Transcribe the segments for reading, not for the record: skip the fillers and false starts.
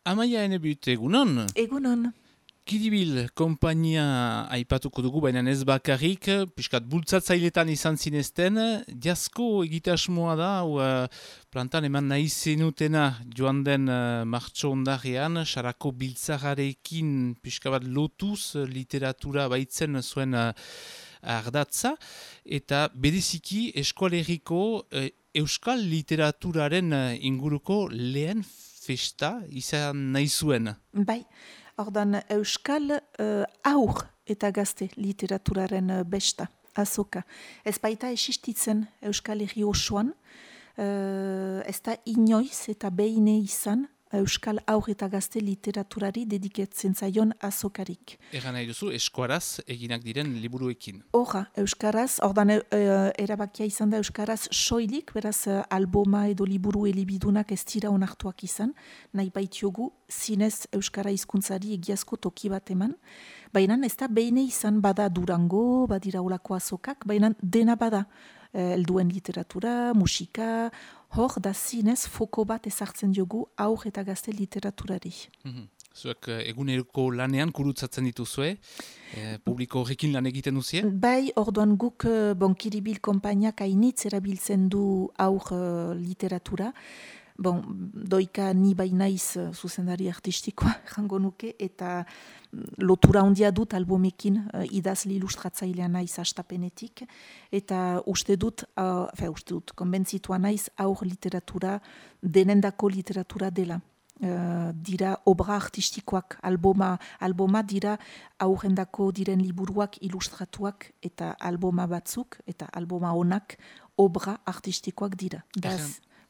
Amaia Enebut, egunon? Egunon. Kiribil konpainia aipatuko dugu, baina ez bakarrik, piskat bultzatzailetan izan zinezten, diazko egitasmoa da, plantan eman nahi zenutena joan den martxo ondarean, sarako biltzagarekin pixka bat lotuz literatura baitzen zuen ardatza, eta bereziki eskualeriko euskal literaturaren inguruko lehen festa izan nahi zuen. Bai, ordan euskal aur eta gazte literaturaren besta, azoka. Ez baita existitzen euskal herri osoan, ez da inoiz eta behine izan euskal aur eta gazte literaturari dediketzen zaion azokarik. Egan nahi duzu, eskuaraz eginak diren liburuekin. Horra, euskaraz, ordan erabakia izan da euskaraz soilik, beraz alboma edo liburu elibidunak ez dira onartuak izan, nahi baitiogu zinez euskara hizkuntzari egiazko toki bat eman, baina ez da behine izan bada Durango, badira olako azokak, baina dena bada. Helduen literatura, musika, hor da zinez foko bat ezartzen diogu aur eta gazte literaturari. Zuek eguneroko lanean kurutzatzen dituzue, publiko horrekin lan egiten duzie? Bai, orduan guk Kiribil konpainiak hainitz erabiltzen du aur literatura. Doika ni bainaiz zuzendari artistikoa jango nuke, eta lotura handia dut albumekin idazle ilustratzailea naiz hastapenetik, eta uste dut, konbentzitua naiz aur literatura denendako literatura dela. Dira obra artistikoak, alboma dira aurrendako diren liburuak ilustratuak eta alboma batzuk, eta alboma honak obra artistikoak dira.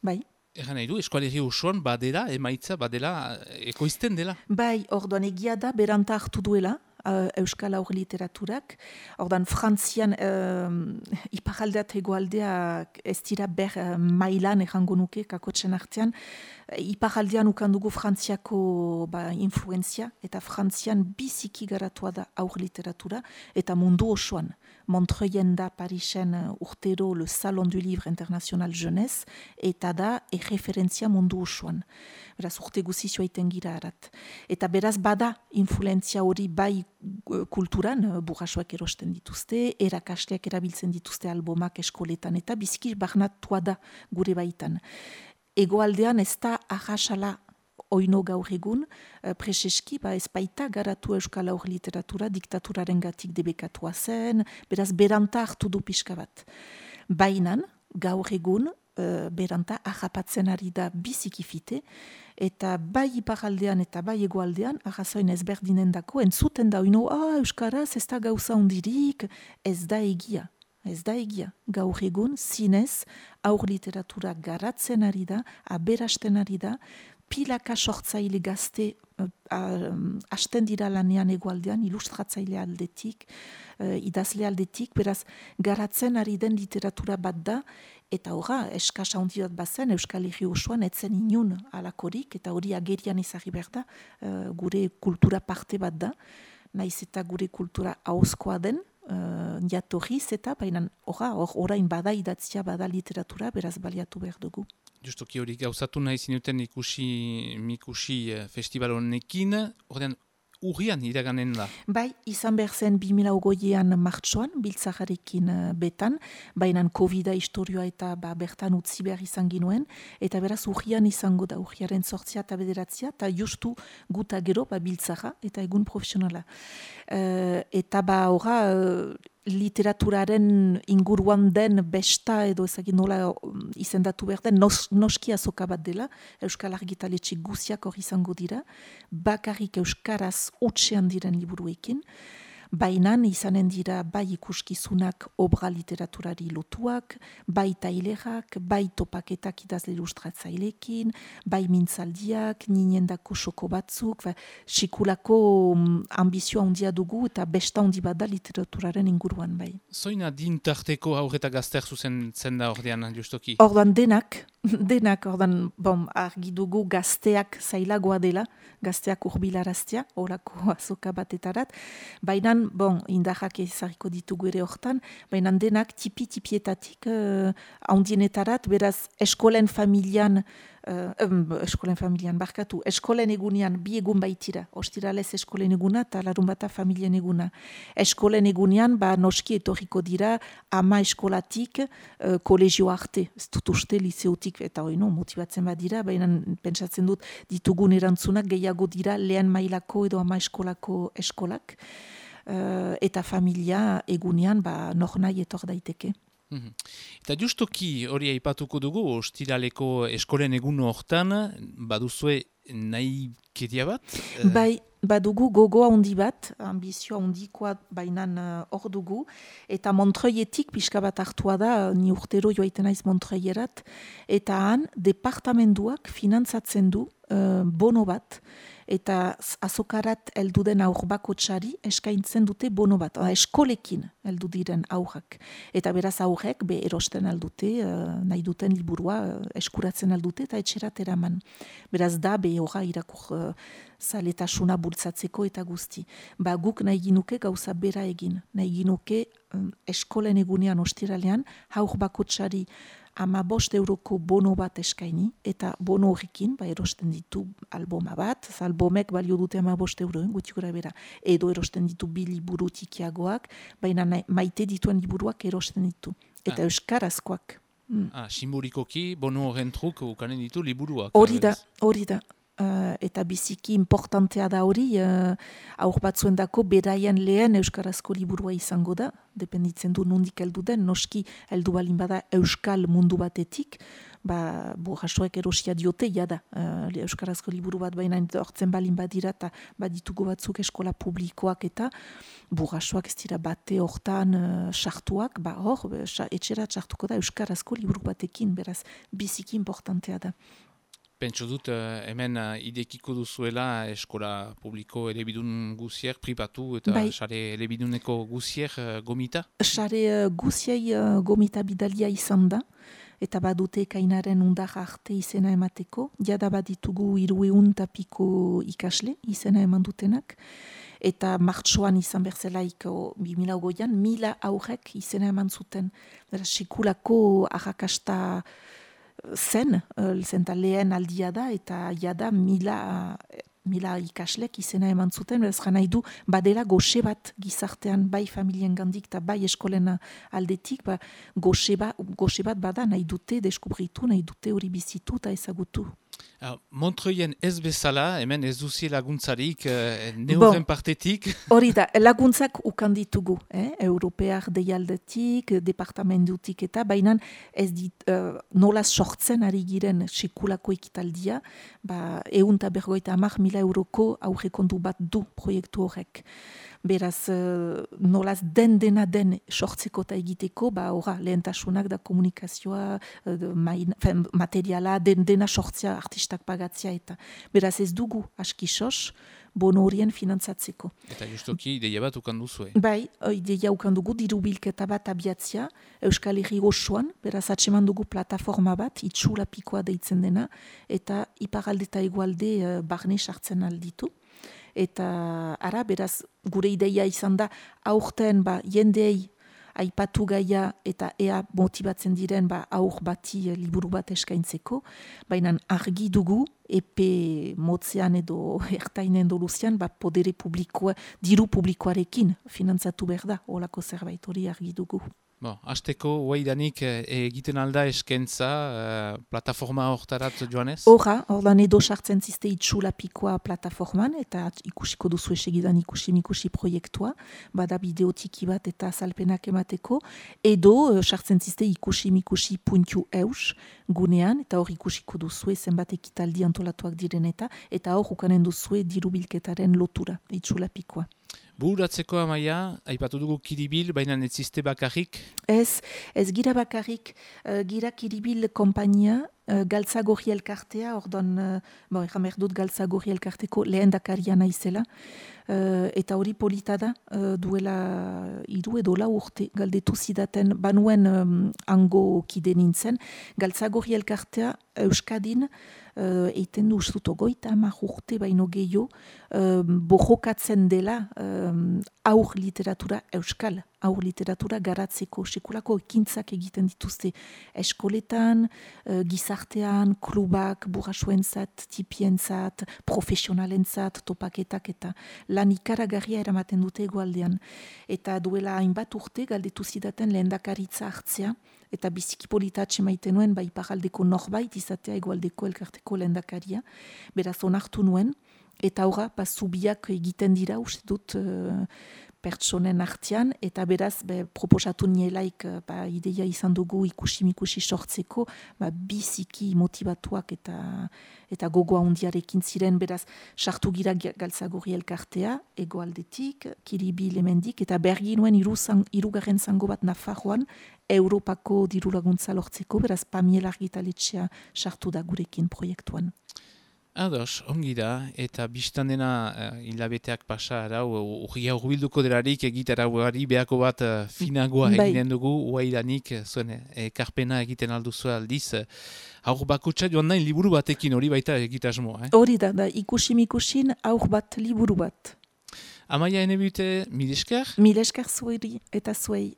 Bai. Egan nahi du, eskualerri osoan badela, emaitza badela, ekoizten dela? Bai, orduan egia da, beranta hartu duela, euskal aur literaturak. Orduan, Frantzian, iparaldea eta egoaldea ez dira ber mailan errango nuke, kakotxen artean. Iparaldean ukandugu Frantziako influenzia, eta Frantzian biziki garatua da aur literatura, eta mundu osoan. Montreuil da Parisen urtero le Salon du Livre International Jeunesse, eta da referentzia mundu osoan. Beraz, urte guzizioa iten gira arat. Eta beraz, bada influenzia hori bai kulturan, burrasoak erosten dituzte, erakasleak erabiltzen dituzte albomak eskoletan, eta biziki barnatua da gure baitan. Egoaldean ez da ahasala oino gaur egun, preseski, ez baita garatu euskal aur literatura diktaturaren gatik debekatua zen, beraz beranta hartu du pixka bat. Bainan, gaur egun, beranta ahapatzen ari da bizikifite, eta bai iparaldean eta bai egoaldean, ahazoin ezberdinen dako, entzuten da oino, euskaraz ez da gauza hundirik, ez da egia. Ez da egia, gaur egun, zinez, aur literatura garatzen ari da, aberasten ari da, pilaka sortzaile gazte hasten dira lanean egoaldean, ilustratzaile aldetik, idazle aldetik, beraz, garatzen ari den literatura bat da, eta horra, eskasa handi bat bazen, Euskal Herri osoan etzen inun alakorik, eta hori agerian ezagri behar da, gure kultura parte bat da, naiz eta gure kultura ahozkoa den, jatorriz eta, baina orain bada idatzia, bada literatura, beraz baliatu behar dugu. Justoki hori gauzatu nahi zinuten Mikusi festival honekin, ordean urrian iraganen da. Bai, izan behar zen 2008an martxoan, biltzagarekin betan, baina COVID-a historioa eta bertan utzi behar izan ginuen, eta beraz urrian izango da, urriaren 8 eta 9, eta justu guta gero biltzaga eta egun profesionala. Eta literaturaren inguruan den besta edo ezagin nola izendatu behar den noski azoka bat dela, Euskal Argitaletxe guziak hori izango dira, bakarrik euskaraz utxean diren liburuekin, bainan izanen dira bai ikuskizunak obra literaturari lotuak, bai tailerak, bai topaketak idazle ilustratzailekin, bai mintzaldiak, ninendako soko batzuk, sikulako ambizioa handia dugu eta besta handi bat da literaturaren inguruan bai. Zoina dintarteko aur eta gazteak zuzentzen da ordean, justoki? Ordan denak, ordan argi dugu gazteak zailagoa dela, gazteak urbilaraztea, horako azoka batetarat, baina baina, indarrak ezarriko ditugu ere hortan, baina denak tipietatik handienetarat, beraz, eskolen familian barkatu, eskolen egunean bi egun baitira, ostiralez eskolen eguna eta larunbata familien eguna. Eskolen egunean, noski etorriko dira, ama eskolatik kolegio arte, ez dut uste liceotik, eta motibatzen badira, baina pentsatzen dut ditugun erantzunak gehiago dira lehen mailako edo ama eskolako eskolak, eta familia egunean nor nahi etor daiteke. Eta justoki hori aipatuko dugu, ostiraleko eskolen egun hortan, baduzue nahi kedia bat? Bai, badugu gogoa handi bat, ambizioa handikoa bainan hor dugu, eta Montreuilletik pixka bat hartua da, ni urtero joaiten naiz Montreuillerat, eta han departamenduak finantzatzen du bono bat, eta azokarat heldu den aur bakotsari eskaintzen dute bono bat, eskolekin heldu diren aurrak. Eta beraz aurrek erosten aldute, nahi duten liburua eskuratzen aldute eta etxerat eraman. Beraz da horra irakur zaletasuna bultzatzeko eta guzti. Guk nahi ginuke gauza bera egin. Nahi ginuke eskolen egunean ostiralean aur bakotsari 15 euroko bono bat eskaini, eta bono horrekin, erosten ditu alboma bat, albomek balio dute 15 euro, guti gora bera, edo erosten ditu 2 liburu tikiagoak, baina maite dituen liburuak erosten ditu, eta euskarazkoak. Simbolikoki, bono horren truk ukanen ditu liburuak. Hori da. Eta biziki importantea da hori, aur batzuendako beraien lehen euskarazko liburua izango da, dependitzen du nondik heldu den, noski heldu balin bada euskal mundu batetik, burrasoek erosia diote, jada, euskarazko liburu bat baina hortzen balin badira, eta baditugu batzuk eskola publikoak eta burrasoak ez dira bate hortan sartuak, etxera sartuko da euskarazko liburu batekin, beraz biziki importantea da. Pentso dut hemen idekiko duzuela eskola publiko elebidun guzier pribatu eta sare elebiduneko guzier gomita? Sare guziei gomita bidalia izan da, eta badute kainaren undar arte izena emateko, jada baditugu 300 piko ikasle izena eman dutenak, eta martxoan izan berzelaiko 2008an 1000 aurrek izena eman zuten. Sekulako arrakasta zen lehen aldia da, eta jada 1000 ikaslek izena eman zuten, beraz nahi du badela goxe bat gizartean bai familien gandik eta bai eskolena aldetik, goxe bat bada nahi dute deskubritu, nahi dute hori bizitu eta ezagutu. Montreuien ez bezala, hemen ez duzi laguntzarik, neuren partetik? Hori da, laguntzak ukan ditugu, Europear deialdetik, departamentutik eta, baina ez dit nolaz sortzen ari giren sekulako ekitaldia, 150.000 euroko aurrekontu bat du proiektu horrek. Beraz, nolaz dena sortzeko eta egiteko, lehentasunak da komunikazioa, materiala, dena sortzea artistak pagatzea eta. Beraz ez dugu aski sos, bono horien finantzatzeko. Eta justoki ideia bat ukan duzue? Bai, ideia ukan dugu, diru bilketa bat abiatzia, Euskal Herri osoan, beraz atseman dugu plataforma bat, itxula pikoa deitzen dena, eta iparalde eta egualde barne sartzen alditu. Eta ara, beraz, gure ideia izan da, aurten jendeei aipatu gaia eta ea motibatzen diren aur bati liburu bat eskaintzeko, baina argi dugu, epe motzean edo ertainen doluzian, podere publikoa, diru publikoarekin finantzatu behar da, holako zerbait hori argi dugu. Hasteko, huaidanik egiten alda eskentza plataforma hortarat joanez? Hordan edo sartzen ziste itxula pikoa plataforman, eta ikusiko duzu esegidan ikusi proiektua, bada bideotiki bat eta azalpenak emateko, edo sartzen ziste ikusi.eus gunean, eta hor ikusiko duzue zenbat ekitaldi antolatuak diren eta hor ukanen duzue diru bilketaren lotura, itxula pikoa. Bururatzeko Amaia, aipatu dugu Kiribil, baina ez ziste bakarrik? Ez gira bakarrik, gira Kiribil kompainia, Galtzagorri elkartea, ordan, erran behar dut Galtzagorri elkarteko lehen dakaria naizela, eta hori polita da, duela 3 edo 4 urte galdetu zidaten, banuen hango kide nintzen, Galtzagorri elkartea Euskadin eiten du ustut 30 urte baino gehiago, bojokatzen dela aur literatura euskal, aur literatura garatzeko sekulako ekintzak egiten dituzte eskoletan, gizartean, klubak, burrasuentzat, tipientzat, profesionalentzat, topaketak eta lan ikaragarria eramaten dute hegoaldean. Eta duela hainbat urte galdetu zidaten lehendakaritza hartzea, eta biziki polita atsemaiten nuen, bai iparraldeko norbait izatea hegoaldeko elkarteko lehendakaria, beraz onartu nuen, eta horra, zubiak egiten dira, uste dut pertsonen artean, eta beraz, proposatu nielaik ideia izan dugu ikusi sortzeko, biziki motivatuak eta gogoa hundiarekin ziren, beraz, sartu gira Galtzagorri elkartea, hegoaldetik, Kiribil hemendik, eta bergi nuen hirugarren zango bat Nafarroan, Europako diru laguntza lortzeko, beraz, Pamiel argitaletxea sartu da gurekin proiektuan. Ados, ongi da, eta biztan dena hilabeteak pasa arau, urria urbilduko delarik egitara ugari behako bat finagoa eginen dugu, uaidanik zuen ekarpena egiten alduzu aldiz. Aur bakutsa joan nahi liburu batekin hori baita egitasmoa. Hori da, ikusin aur bat liburu bat. Amaia enebute, mil esker? Mil esker zueri eta zuei.